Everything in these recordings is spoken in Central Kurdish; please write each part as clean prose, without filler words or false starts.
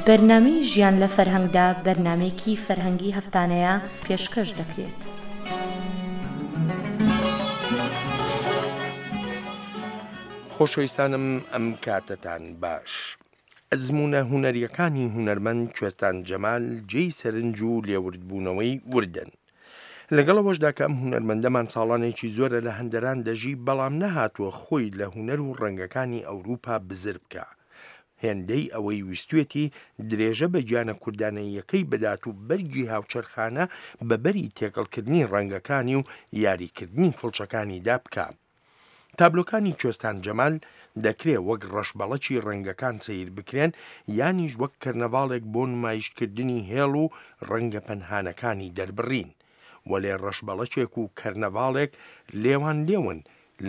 بەرنامەی ژیان لە فەرهەنگدا بەرنامەیەکی فەرهەنگی هەفتانەیە پێشکەش دەکرێت. خۆشەویستانم ئەم کاتەتان باش. ئەزموونە هونەرییەکانی هونەرمەند کوێستان جەمال جێی سەرنج و لێوردبوونەوەی وردن. لەگەڵ ئەوەشدا کە ئەم هونەرمەندەمان ساڵانێکی زۆرە لە هەندەران دەژی، بەڵام نەهاتووە خۆی لە هونەر و ڕەنگەکانی ئەوروپا بزر بکا. هێندەی ئەوەی ویستوێتی درێژە بە گیانە کوردانەییەکەی بدات و بەرگی هاوچەرخانە بە بەری تێکەڵکردنی ڕەنگەکانی و یاریکردنی فڵچەکانیدا بکا. تابلۆکانی کوێستان جەمال دەکرێ وەک ڕەشبەڵەکی ڕەنگەکان سەیر بکرێن یانیش وەک کەرنەڤاڵێک بۆ نمایشکردنی هێڵ و ڕەنگە پەنهانەکانی دەربڕین. وەلێ ڕەشبەڵەکێک و کەرنەڤاڵێک لێوان لێون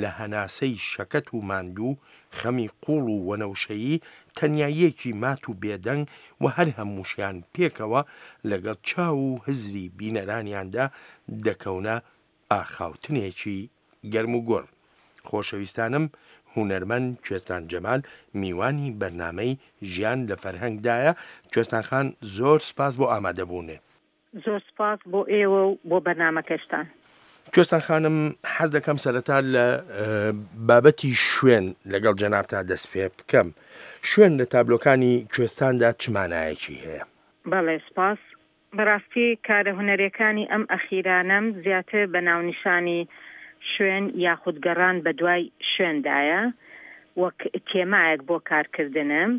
لە هەناسەی شەکەت و ماندوو، خەمی قووڵ و وەنەوشەیی، تەنیاییەکی مات و بێدەنگ و هەر هەمووشیان پێکەوە لەگەڵ چاو و هزری بینەرانیاندا دەکەونە ئاخاوتنێکی گەرم و گوڕ. خۆشەویستانم هونەرمەند کوێستان جەمال میوانی بەرنامەی ژیان لە فەرهەنگ دایە، کوێستان خان زۆر سپاس بۆ ئامادەبوونێ. زۆر سپاس بۆ ئێوە و بۆ بەرنامەکەشتان. کوێستان خانم حەز دەکەم سەرەتا لە بابەتی شوێن لەگەڵ جەنابتا دەست پێ بکەم. شوێن لە تابلۆکانی کوێستاندا چ مانایەکی هەیە؟ بەڵێ سپاس. بەڕاستی کارە هونەریەکانی ئەم ئەخیرانەم زیاتر بە ناونیشانی شوێن یاخود گەڕان بەدوای شوێندایە وەک تێمایەک بۆ کارکردنم.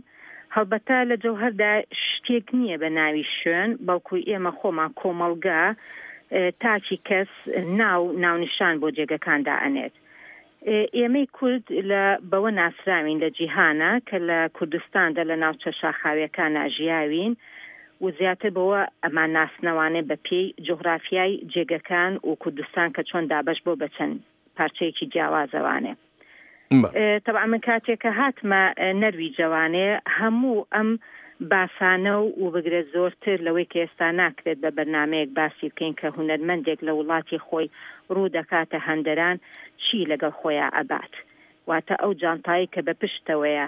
هەڵبەتە لە جەوهەردا شتێک نییە بە ناوی شوێن بەڵکو ئێمە خۆمان کۆمەڵگە تاکی کەس ناو ناونیشان بۆ جێگەکان دائەنێت. ئێمەی کورد لە بەوە ناسراوین لە جیهانا کە لە کوردستاندا لە ناوچە شاخاویەکانا ژیاوین و زیاتر بەوە ئەمان ناسنەوانێ بە پێی جوغرافیای جێگەکان و کوردستان کە چۆن دابەش بۆ بە چەند پارچەیەکی جیاوازەوانێ. تەبعەن من کاتێک کە هاتمە نەرویجەوانێ هەموو ئەم باسانە و بگرە زۆرتر لەوەی کە ئێستا ناکرێت بە بەرنامەیەک باسی بکەین کە هونەرمەندێک لە وڵاتی خۆی ڕوو دەکاتە هەندەران چی لەگەڵ خۆیا ئەبات واتە ئەو جانتایەی کە بە پشتەوەیە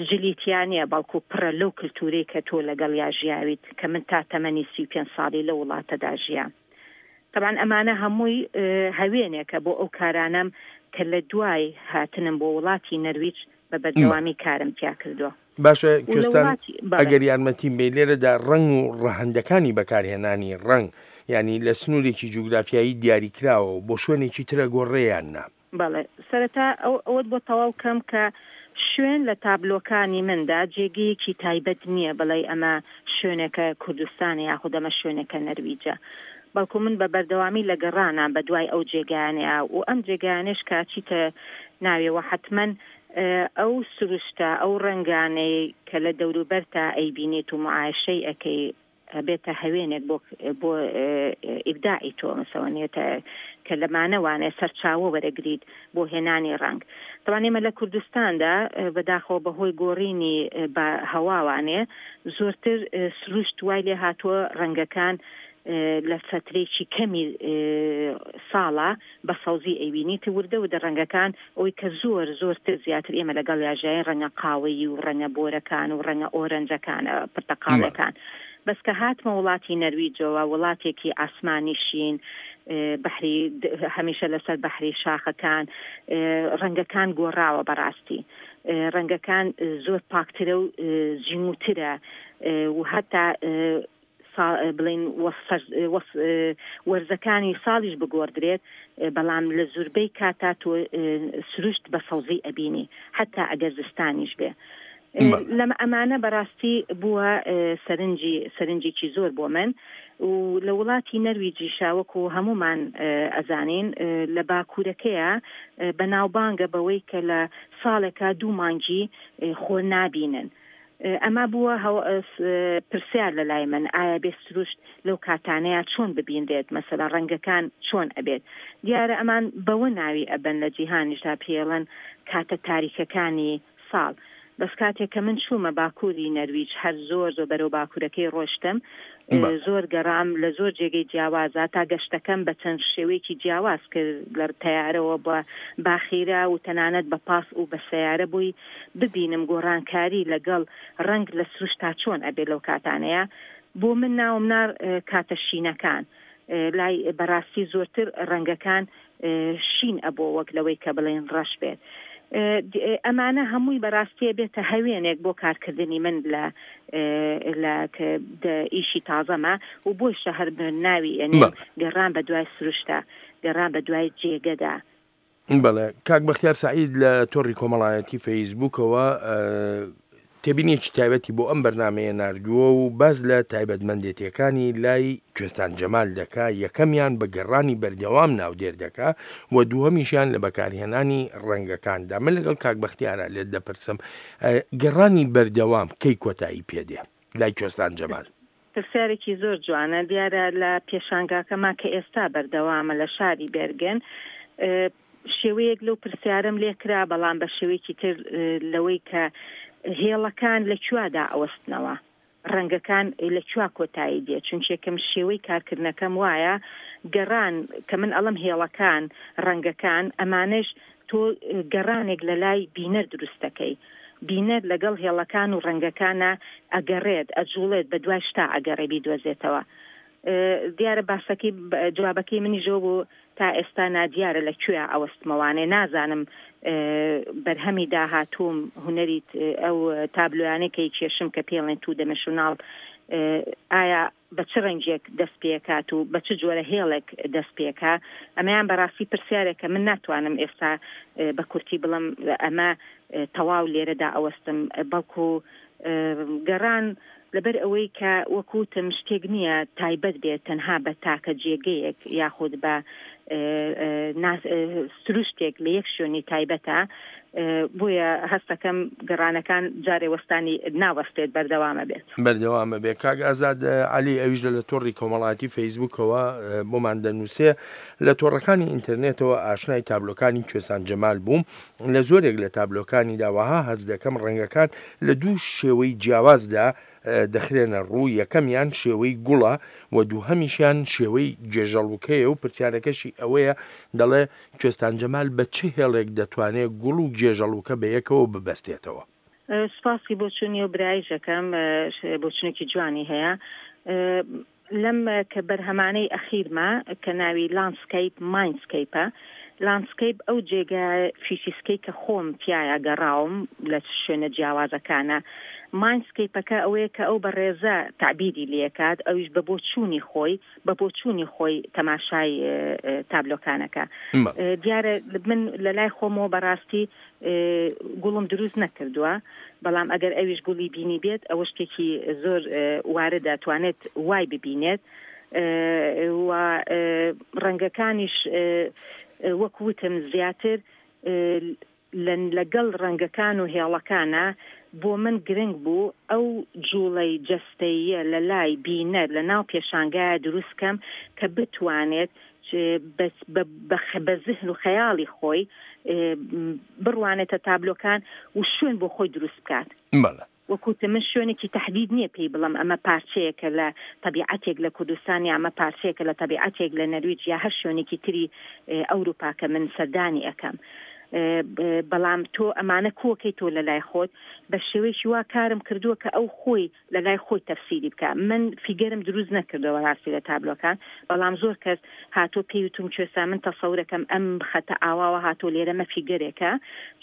جلی تیا نیە بەڵکو پڕە لەو کلتورەی کە تۆ لەگەڵیا ژیاویت کە من تا تەمەنی 35 ساڵی لەو وڵاتەدا ژیام. تەبعەن ئەمانە هەمووی هەوێنێکە بۆ ئەو کارانەم کە لە دوای هاتنم بۆ وڵاتی نەرویج بە بەردەوامی کارم تیا کردووە. باشە کوێستان ئەگەر یارمەتیم بەی لێرەدا ڕەنگ و ڕەهەندەکانی بەکارهێنانی ڕەنگ یانی لە سنوورێکی جوگرافیایی دیاریکراوە و بۆ شوێنێکی ترە گۆڕێ یان نا؟ بەڵێ سەرەتا ئەوەت بۆ تەواو کەم کە شوێن لە تابلۆکانی مندا جێگەیەکی تایبەت نییە بڵێی ئەمە شوێنێکە کوردستانە یاخود ئەمە شوێنێکە نەرویجە بەڵکو من بە بەردەوامی لە گەڕانام بە دوای ئەو جێگایانەیا و ئەم جێگایانەش کە ئەچیتە ناویەوە حەتمەن ئەو سروشتە ئەو ڕەنگانەی کە لە دەوروبەرتا ئەیبینیت و معایشەی ئەکەی ئەبێتە هەوێنێک بۆ بۆ ئیبداعی تۆ مەسەوەنێتە کە لەمانە وانێ سەرچاوە وەرەگریت بۆ هێنانی ڕەنگ تەوان ئێمە لە کوردستاندا بەداخەوە بەهۆی گۆڕینی بە هەواوانێ زۆرتر سروشت وای لێ هاتووە ڕەنگەکان لە فەترێکی کەمی ساڵە بە سەوزی ئەیبینیت وردە وردە ڕەنگەکان ئەوەی کە زۆر زۆرتر زیاتر ئێمە لەگەڵیا ژیاین ڕەنگە قاوەیی و ڕەنگە بۆرەکان و ڕەنگە ئۆرەنجەکان پرتەقاڵەکان بەس کە هاتمە وڵاتی نەرویجەوە وڵاتێکی ئاسمانی شین بەحری هەمیشە لەسەر بەحری شاخەکان ڕەنگەکان گۆڕاوە بەڕاستی ڕەنگەکان زۆر پاکترە و زیموترە و هەتا بڵێین وەرزەکانی ساڵیش بگۆڕدرێت بەڵام لە زوربەی کاتا تۆ سروشت بە سەوزی ئەبینی حتا ئەگەر زستانیش بێ لەمە ئەمانە بەڕاستی بووە سەرنجی سەرنجێکی زۆر بۆ من و لە وڵاتی نەرویجیشا وەکو هەمومان ئەزانین لە باکوورەکەیە بەناوبانگە بەوەی کە لە ساڵێکا دوو مانگی خۆر نابینن ئەمە بووە پرسیار لە لای من ئایا بێ سروشت لەو کاتانەیا چۆن ببینرێت مەسەلەن ڕەنگەکان چۆن ئەبێت دیارە ئەمان بەوە ناوی ئەبەن لە جیهانیشدا پێیەڵێن کاتە تاریکەکانی ساڵ. بەس کاتێک کە من چوومە باکووری نەرویج هەر زۆر زۆر بەرەو باکوورەکەی ڕۆشتم زۆر گەڕام لە زۆر جێگەی جیاوازا تا گەشتەکەم بە چەند شێوەیەکی جیاواز کرد لە تەیارەوە بە باخیرە و تەنانەت بە پاس و بە سەیارە بۆی ببینم گۆڕانکاری لەگەڵ ڕەنگ لە سروشتا چۆن ئەبێ لەو کاتانەیە بۆ من ناوم نا کاتە شینەکان لای بەڕاستی زۆرتر ڕەنگەکان شین ئەبۆ وەک لەوەی کە بڵێن ڕەش بێت. ئەمانە هەمووی بەڕاستیە بێتە هەوێنێک بۆ کارکردنی من لە لە ئیشی تازەمە و بۆیشە هەر ناوی ئەنێم گەڕان بە دوای سروشتا، گەڕان بە دوای جێگەدا. بەڵێ کاک بەختیار سەعید لە تۆڕی کۆمەڵایەتی فەیسبووکەوە تێبینیەکی تایبەتی بۆ ئەم بەرنامەیە ناردووە و باس لە تایبەتمەندێتیەکانی لای کوێستان جەمال دەکا، یەکەمیان بە گەڕانی بەردەوام ناودێر دەکا و دووهەمیشیان لە بەکارهێنانی ڕەنگەکاندا. من لەگەڵ کاک بەختیارا لێت دەپرسم گەڕانی بەردەوام کەی کۆتایی پێدێ لای کوێستان جەمال؟ پرسیارێکی زۆر جوانە، دیارە لە پێشانگاکەما کە ئێستا بەردەوامە لە شاری بێرگن شێوەیەک لەو پرسیارەم لێ کرا، بەڵام بە شێوەیەکی تر لەوەی کە هێڵەکان لە کوێدا ئەوەستنەوە، ڕەنگەکان لە کوێ کۆتایی دێ، چونکێکم شێوەی کارکردنەکەم وایە گەڕان کە من ئەڵم هێڵەکان، ڕەنگەکان، ئەمانەش تۆ گەڕانێک لە لای بینەر دروست دەکەی. بینەر لەگەڵ هێڵەکان و ڕەنگەکانا ئەگەڕێت، ئەجوڵێت، بە دوای شتا ئەگەڕێ بیدۆزێتەوە. دیارە باسەکەی جوابەکەی منیش ئەوە بوو تا ئێستا نادیارە لە کوێیا ئەوەستمەوانێ نازانم بەرهەمی داهاتووم هونەری ئەو تابلۆیانەی کە ئەیکێشم کە پێڵێن تو دەمێشوناڵ ئایا بە چ ڕەنگێک دەست پێکات و بە چ جۆرە هێڵێک دەست پێکا؟ ئەمەیان بەڕاستی پرسیارێکە من ناتوانم ئێستا بە کورتی بڵێم ئەمە تەواو لێرەدا ئەوەستم، بەڵکو گەڕان لەبەر ئەوەی کە وەک وتم شتێک نییە تایبەت بێت تەنها بە تاکە جێگەیەک یاخود بە سروشتێک لە یەک شوێنی تایبەتە، بۆیە هەستەکەم گەڕانەکان جارێ وەستانی ناوەستێت بەردەوامە بێت. بەردەوامە بێت. کاک ئازاد عەلی ئەویش لە لە تۆڕی کۆمەڵایەتی فەیسبووکەوە بۆمان دەنووسێ، لە تۆڕەکانی ئینتەرنێتەوە ئاشنای تابلۆکانی کوێستان جەمال بووم، لە زۆرێک لە تابلۆکانیدا وەها هەست دەکەم ڕەنگەکان لە دوو شێوەی جیاوازدا دەخرێنە ڕوو، یەکەمیان شێوەی گوڵە و دووهەمیشیان شێوەی گێژەڵوکەیە و پرسیارەکەشی ئەوەیە دەڵێ کوێستان جەمال بە چ هێڵێک دەتوانێ گوڵ و گێژەڵوکە بەیەکەوە ببەستێتەوە؟ سوپاسی بۆچوونی ئەو برایەش ئەکەم، بۆچوونێکی جوانی هەیە. لەم کە بەرهەمانەی ئەخیرما کە ناوی لاندسکەیپ مایندسکەیپە، لاندسکەیپ ئەو جێگا فیسیسکەی کە خۆم تیایا گەڕاوم لە شوێنە جیاوازەکانە، مایندسکەیپەکە ئەوەیە کە ئەو بەڕێزە تەعبیری لێکات ئەویش بە بۆچوونی خۆی بە بۆچوونی خۆی تەماشای تابلۆکانەکە. دیارە من لە لای خۆمەوە بەڕاستی گوڵم دروست نەکردووە، بەڵام ئەگەر ئەویش گوڵی بینیبێت ئەوە شتێکی زۆر واردە توانێت وای ببینێت و ڕەنگەکانیش وەک وتم زیاتر لەگەڵ ڕەنگەکان و هێڵەکانە بۆ من گرنگ بوو ئەو جوڵەی جەستەییە لە لای بینەر لە ناو پێشانگایە دروست کەم کە بتوانێت بە زهن و خەیاڵی خۆی بڕوانێتە تابلۆکان و شوێن بۆ خۆی دروست بکات. بەڵێ. وەک وتم من شوێنێکی تەحدید نییە پێی بڵێم ئەمە پارچەیەکە لە تەبیعەتێک لە کوردستان یا ئەمە پارچەیەکە لە تەبیعەتێک لە نەرویج یا هەر شوێنێکی تری ئەوروپا کە من سەردانی ئەکەم. بەڵام تۆ ئەمانە کۆکەی تۆ لە لای خۆت بە شێوەیەکی وا کارم کردووە کە ئەو خۆی لە لای خۆی تەفسیری بکا من فیگەرم دروست نەکردووە بەڕاستی لە تابلۆکان بەڵام زۆر کەس هاتۆ پێی وتوم کوێستا من تەسەورەکەم ئەم خەتە ئاواوە هاتۆ لێرە مە فیگەرێکە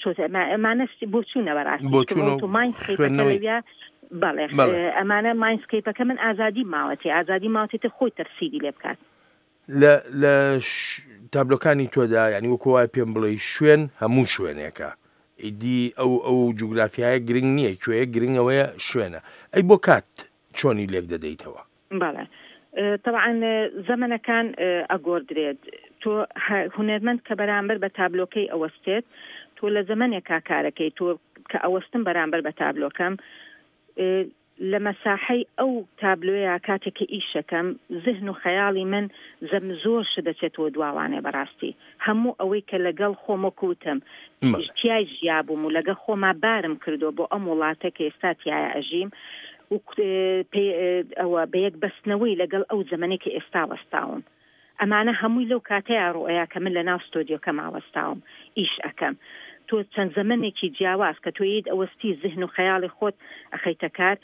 چۆتە ئەمە ئەمانە بۆچوونە بەڕاستی بۆچوون و تۆ ماینسکەیپەکە خوێندنەوەی لەویا بەڵێ بەڵێ. ئەمانە ماینسکەیپەکە من ئازادی ماوەتێ ئازادی ماوەتێ تر خۆی تەفسیری لێ بکات. لە لە تابلۆکانی تۆدا یانی وەکو وایە پێم بڵێی شوێن هەموو شوێنێکە ئیدی ئەو ئەو جوگرافیایە گرنگ نییە کوێیە گرنگ ئەوەیە شوێنە ئەی بۆ کات چۆنی لێک دەدەیتەوە؟ بەڵێ تەبعەن زەمەنەکان ئەگۆردرێت تۆ هونەرمەند کە بەرامبەر بە تابلۆکەی ئەوەستێت تۆ لە زەمەنێکا کارەکەی تۆ کە ئەوەستم بەرامبەر بە تابلۆکەم. لە مەساحەی ئەو تابلۆیە کاتێک کە ئیشەکەم زهن و خەیاڵی من زەم زۆر شت دەچێتەوە دواوانێ بەڕاستی هەموو ئەوەی کە لەگەڵ خۆم وەکو وتم تیای ژیابووم و لەگەڵ خۆما بارم کردووە بۆ ئەم وڵاتە کە ئێستا تیایا ئەژیم و ئەوە بەیەک بەستنەوەی لەگەڵ ئەو زەمەنەی کە ئێستا وەستاوم. ئەمانە هەمووی لەو کاتەیا ڕوئەیا کە من لەناو ستۆدیۆکەما وەستاوم ئیش ئەکەم. تۆ چەند زەمەنێکی جیاواز کە تۆ یەیت ئەوەستی زهن و خەیاڵی خۆت ئەخەیتە کار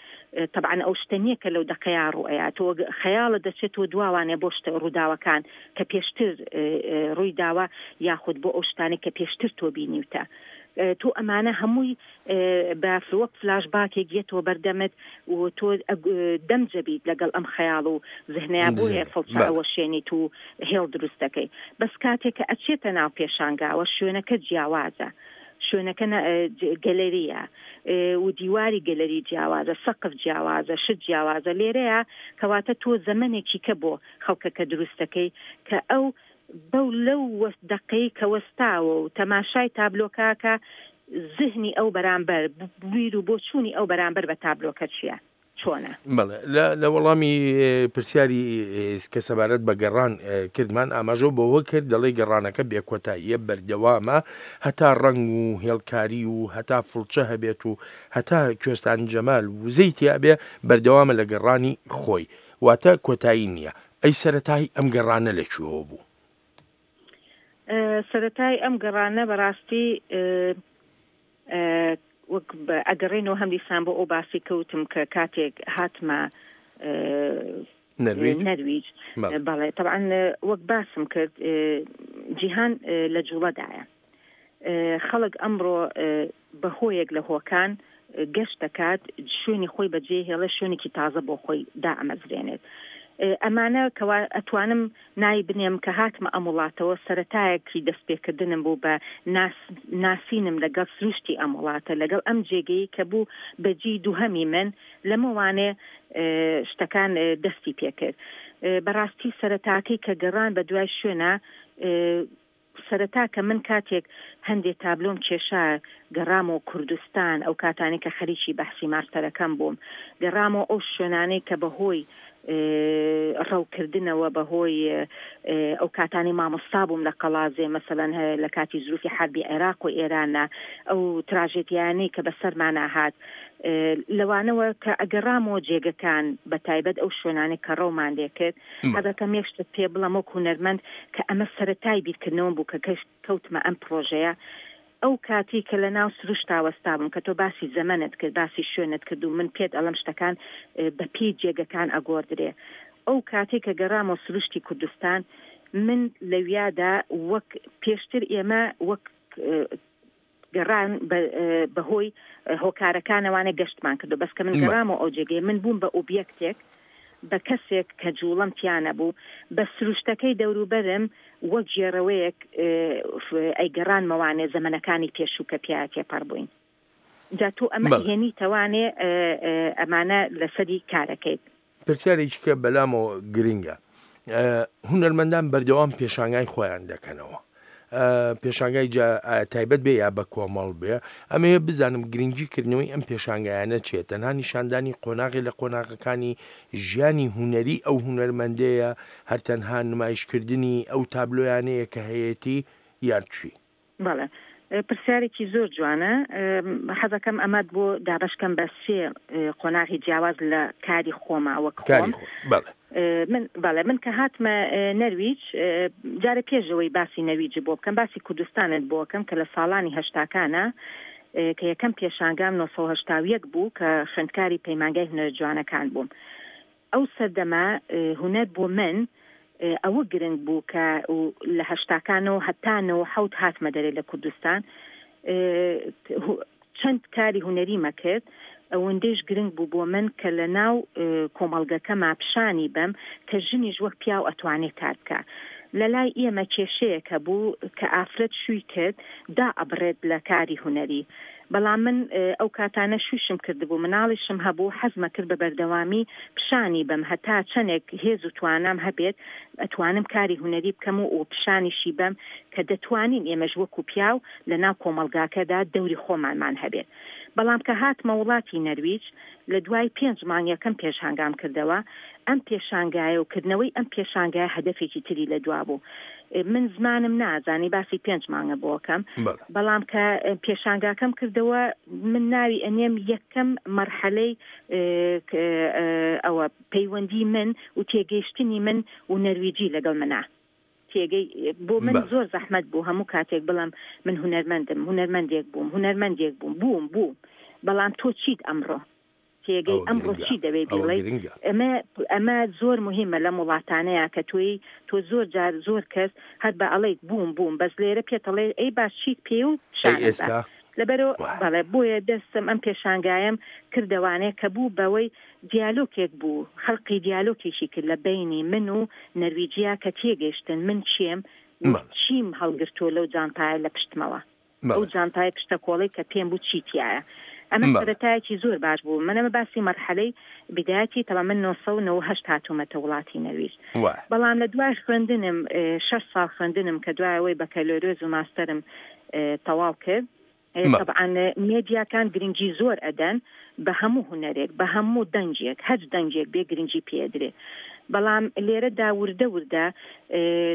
تەبعەن ئەو شتە نیە کە لەو دەقەیا ڕوئەیا تۆ خەیاڵت دەچێتەوە دواوانێ بۆ شتە ڕووداوەکان کە پێشتر ڕووی داوە یاخود بۆ ئەو شتانەی کە پێشتر تۆ بینیوتە تۆ ئەمانە هەمووی بە وەک فلاش باکێک یەتەوە بەردەمت و تۆ دەم جەبیت لەگەڵ ئەم خەیاڵ و زهنەیە بۆیە فڵچە ئەوەشێنیت و هێڵ دروست دەکەی بەس کاتێک کە ئەچێتە ناو پێشانگاوە شوێنەکە جیاوازە شوێنەکە گەلەریە و دیواری گەلەری جیاوازە سەقف جیاوازە شت جیاوازە لێرەیە کەواتە تۆ زەمەنێکی کە بۆ خەڵکەکە دروست دەکەی کە ئەو بەو لەو دەقەی کە وەستاوە و تەماشای تابلۆکە ئەکا زهنی ئەو بەرامبەر بیر و بۆچوونی ئەو بەرامبەر بە تابلۆکە چییە؟ چۆنە؟ بەڵێ لە لە وەڵامی پرسیاری کە سەبارەت بە گەڕان کردمان ئاماژەو بەوە کرد دەڵێ گەڕانەکە بێکۆتاییە بەردەوامە هەتا ڕەنگ و هێڵکاری و هەتا فڵچە هەبێت و هەتا کوێستان جەمال وزەی تیابێ بەردەوامە لە گەڕانی خۆی واتە کۆتایی نییە. ئەی سەرەتای ئەم گەڕانە لە کوێوە بوو؟ سەرەتای ئەم گەڕانە بەڕاستی وەک ئەگەڕێنەوە هەم دیسان بۆ ئەو باسی کەوتم کە کاتێک هاتمە نەرویج بەڵێ تەبعەن وەک باسم کرد جیهان لە جوڵەدایە. خەڵک ئەمڕۆ بە هۆیەک لە هۆکان گەشت دەکات، شوێنی خۆی بەجێ هێڵێ، شوێنێکی تازە بۆ خۆی دائەمەزرێنێت. ئەمانە کەوا ئەتوانم ناوی بنێم کە هاتمە ئەم وڵاتەوە سەرەتایەکی دەستپێکردنم بوو بە ناس ناسینم لەگەڵ سروشتی ئەم وڵاتە، لەگەڵ ئەم جێگەی کە بوو بە جێی دووهەمی من، لەمەوانێ شتەکان دەستی پێکرد. بەڕاستی سەرەتاکەی کە گەڕان بە دوای شوێنا، سەرەتا کە من کاتێک هەندێ تابلۆم کێشا گەڕامەوە کوردستان، ئەو کاتانەی کە خەریکی بەحسی ماستەرەکەم بووم، گەڕامەوە ئەو شوێنانەی کە بە هۆی ڕەوکردنەوە، بە هۆی ئەو کاتانەی مامۆستا بووم لە قەڵازێ مەسەلەن لە کاتی زروفی حەربی عێراق و ئێرانە، ئەو تراژێدیایانەی کە بەسەرمانا هات، لەوانەوە کە ئەگەڕامەوە جێگەکان، بە تایبەت ئەو شوێنانەی کە ڕەومان لێ کرد، حەزەکەم یەک شتت پێ بڵێم وەک هونەرمەند کە ئەمە سەرەتای بیرکردنەوەم بوو کە کەوتمە ئەم پڕۆژەیە، ئەو کاتەی کە لە ناو سروشتا وەستابووم کە تۆ باسی زەمەنت کرد، باسی شوێنت کرد و من پێت ئەڵێم شتەکان بە پێی جێگەکان ئەگۆڕدرێ. ئەو کاتەی کە گەڕامەوە سروشتی کوردستان من لەویادا وەک پێشتر ئێمە وەک گەڕان بە هۆی هۆکارەکانەوانە گەشتمان کردو بەس کە من گەڕامەوە ئەو جێگەیە من بووم بە ئۆبیەکتێک بە کەسێک کە جوڵەم تیا نەبوو بە سروشتەکەی دەوروبەرم وەک گێڕەوەیەک ئەیگەڕانمەوانێ زەمەنەکانی پێشوو کە پیا تێپەڕ بووین جا تۆ ئەمە هێنیتەوانێ ئەمانە لەسەری کارەکەیت. پرسیارێکی کە بەلامەوە گرنگە هونەرمەندان بەردەوام پێشانگای خۆیان دەکەنەوە پێشانگای تایبەت بێ یا بە کۆمەڵ بێ ئەمەیە بزانم گرنگی کردنەوەی ئەم پێشانگایانە چیە تەنها نیشاندانی قۆناغی لە قۆناغەکانی ژیانی هونەری ئەو هونەرمەندەیە هەر تەنها نمایشکردنی ئەو تابلۆیانەیە کە هەیەتی یان چی؟ بەڵێ پرسیارێکی زۆر جوانە حەزەکەم ئەمەت بۆ دابەشکەم بە سێ قۆناغی جیاواز لە کاری خۆما وەک خۆم من بەڵێ من کە هاتمە نەرویج جارە پێشەوەی باسی نەرویج بۆ بکەم باسی کوردستانت بۆکەم کە لە ساڵانی هەشتاکانە کە یەکەم پێشانگام 1970 بوو کە خوێندکاری پەیمانگای هونەرە جوانەکان بووم ئەو سەردەمە هونەر بۆ من ئەوە گرنگ بوو کە لە هەشتاکانەوە هەتا 97 هاتمە دەرێ لە کوردستان چەند کاری هونەریمە کرد ئەوەندەیش گرنگ بوو بۆ من کە لە ناو کۆمەڵگەکەما پیشانی بەم کە ژنیش وەک پیاو ئەتوانێ کار بکا. لە لای ئێمە کێشەیەک هەبوو کە ئافرەت شووی کرد دائەبڕێت لە کاری هونەری. بەڵام من ئەو کاتانە شوویشم کردبوو مناڵیشم هەبوو حەزمە کرد بە بەردەوامی پیشانی بەم هەتا چەنێک هێز و توانام هەبێت ئەتوانم کاری هونەری بکەم و پیشانیشی بەم کە دەتوانین ئێمەش وەکو پیاو لە ناو کۆمەڵگاکەدا دەوری خۆمانمان هەبێت. بەڵام کە هاتمە وڵاتی نەرویج لە دوای پێنج مانگ یەکەم پێشانگام کردەوە، ئەم پێشانگایە و کردنەوەی ئەم پێشانگایە هەدەفێکی تری لە دوا بوو. من زمانم نازانی باسی پێنج مانگە بۆ ئەکەم، بەڵام کە پێشانگاکەم کردەوە من ناوی ئەنێم یەکەم مەرحەلەی ئەوە پەیوەندی من و تێگەیشتنی من و نەرویجی لەگەڵ منا. تێگەی بۆ من زۆر زەحمەت بوو هەموو کاتێک بڵێم من هونەرمەندم، هونەرمەندێک بووم، هونەرمەندێک بووم، بووم، بووم، بەڵام تۆ چیت ئەمڕۆ؟ تێگەی ئەمڕۆ چی دەوێ بیڵێی؟ ئەمە ئەمە زۆر موهیمە لەم وڵاتانەیا کە تۆی تۆ زۆر جار زۆر کەس هەر بە ئەڵێیت بووم بووم بەس لێرە پێت ئەڵێ ئەی باش چیت پێیە و پیشانم بە لەبەرئەوە بەڵێ بۆیە دەستم ئەم پێشانگایەم کردەوانێ کە بوو بەوەی دیالۆکێک بوو خەلقی دیالۆکێکی کرد لە بەینی من و نەرویجیا کە تێگەیشتن من کێم و چیم هەڵگرتووە لەو جانتایە لە پشتمەوە ئەو جانتای پشتە کۆڵەی کە پێم بوو چی تیایە ئەمە سەرەتایەکی زۆر باش بوو من ئەمە باسی مەرحەلەی بدایەتی تەبا من 998 هاتوومەتە وڵاتی نەرویج بەڵام لە دوای خوێندنم شەش ساڵ خوێندنم کە دوای ئەوەی بەکەلۆرێز و ماستەرم تەواو کرد تەبعەن مێدیاکان گرنگی زۆر ئەدەن بە هەموو هونەرێک بە هەموو دەنگێک هەچ دەنگێک بێ گرنگی پێ ئەدرێ بەڵام لێرەدا وردە وردە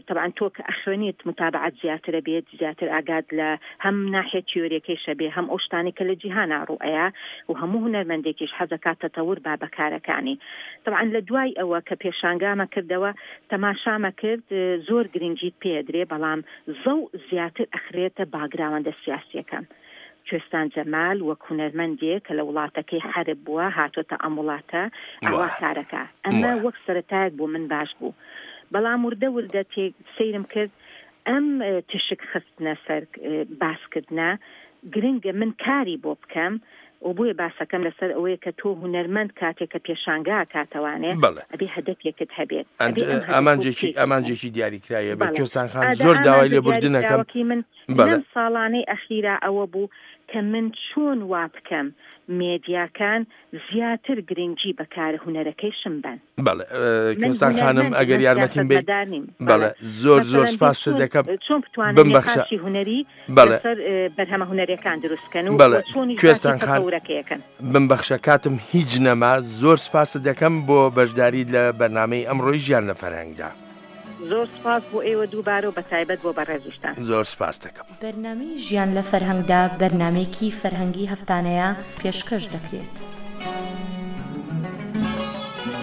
تەبعەن تۆ کە ئەخوێنیت متابعەت زیاترە بێت زیاتر ئاگات لە هەم ناحیە تیۆریەکەیشە بێ هەم ئەو شتانەی کە لە جیهانا ڕوو ئەیا و هەموو هونەرمەندێکیش حەزەکات تەتەور با بە کارەکانی تەبعەن لە دوای ئەوە کە پێشانگامە کردەوە تەماشامە کرد زۆر گرنگیت پێ ئەدرێ بەڵام زەوق زیاتر ئەخرێتە باگراوەندە سیاسیەکان. کوێستان جەمال وەک هونەرمەندێک کە لە وڵاتەکەی حەرب بووە هاتۆتە ئەم وڵاتە ئاوا کارەکا. ئەمە وەک سەرەتایەک بۆ من باش بوو. بەڵام وردە وردە تێ سەیرم کرد ئەم تشک خستنە سەر باس کردنە گرنگە من کاری بۆ بکەم و بۆیە باسەکەم لەسەر ئەوەیە کە تۆ هونەرمەند کاتێک کە پێشانگا ئەکاتەوانێ بەڵێ. ئەبێ هەدەفێکت هەبێت ئەبێ ئەم هەدەفە ئامانجێکی پێک بکەی. ئامانجێکی دیاریکراوی هەبێت بەڵێ کوێستان خان ئادە زۆر داوای ئامانجە لێبوردن ئەکەم دیاریکراوەکەی من بەڵێ. لەم ساڵانەی ئەخیرا ئەوە بوو کە من چۆن وا بکەم مێدیاکان زیاتر گرنگی بە کارە هونەرەکەیشم بەن. بەڵێ من کوێستان خانم هونەرمەندم ئەگەر من یارمەتیم بەی سیاسەتمەدار نیم بەڵێ بەڵێ زۆر زۆر مەسەلەن بێ سپاست چۆن دەکەم چۆن بتوانن بمبەخشە نقاشی هونەری بەڵێ لەسەر بەرهەمە هونەریەکان دروست بکەن و بەڵێ وە چۆنیش باسی کوێستان خان تەتەورەکەی ئەکەن. بمبەخشە کاتم هیچ نەما زۆر سپاست دەکەم بۆ بەشداریت لە بەرنامەی ئەمڕۆی ژیان لە فەرهەنگدا. زۆر سپاس بۆ ئێوە دووبارە و بەتایبەت بۆ بەڕێزیشتان. زۆر سپاست دەکەم. بەرنامەی ژیان لە فەرهەنگدا بەرنامەیەکی فەرهەنگی هەفتانەیە پێشکەش دەکرێت.